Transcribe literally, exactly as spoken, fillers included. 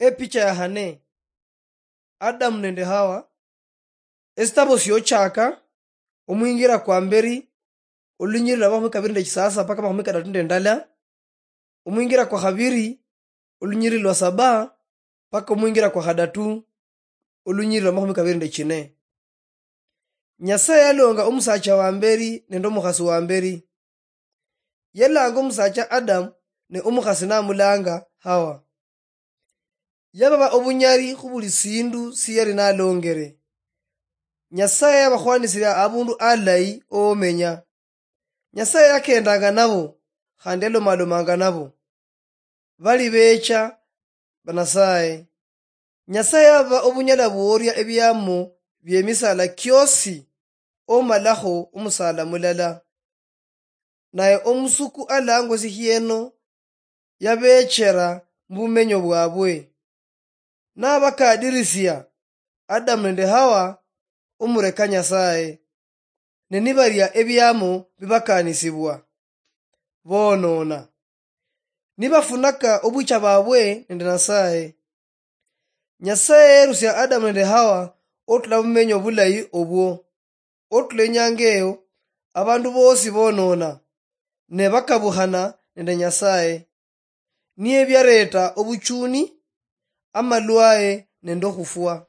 Epicha ya hane. Adamu nende Hawa. Esitabo siochaka, omwingira kwa mberi, olunyiriri lwa makhumi kabiri nende chisasa paka makhumi kadatu nende ndala, omwingira kwa khabiri, olunyiriri lwa saba, paka omwingira kwa khadatu, olunyiriri lwa makhumi kabiri nende chine. Nyasaye yalonga omusacha wa mberi nende omukhasi wa mberi. Yalanga omusacha Adamu, ne omukhasi namulanga Hawa. Yababa obunyali khu buli sindu siyali nalongere. Nyasaye yabakhwanisiria abundu alayi omenya. Nyasaye yakendanga nabo, khandi yalomalomanga nabo. Bali becha ba Nyasaye. Nyasaye yababa obunyala bworia ebiamo biemisala kiosi, omalakho omusala mulala. Naye omusuku alangwa esihieno yabechera mubumenyo bwabwe. Nabakadirisia Adamu nende Hawa omureka Nyasaye, ne nibaria ebiamo bibakanisibwa, bonona, nibafunaka obucha babwe nende Nyasaye. Nyasaye yerusia Adamu nende Hawa otula mumenyo bulayi obwo. Otula enyanga eyo, abandu bosi bonona, ne bakabukhana nende Nyasaye. Niye biareta obuchuni, amalwaye nende okhufwa.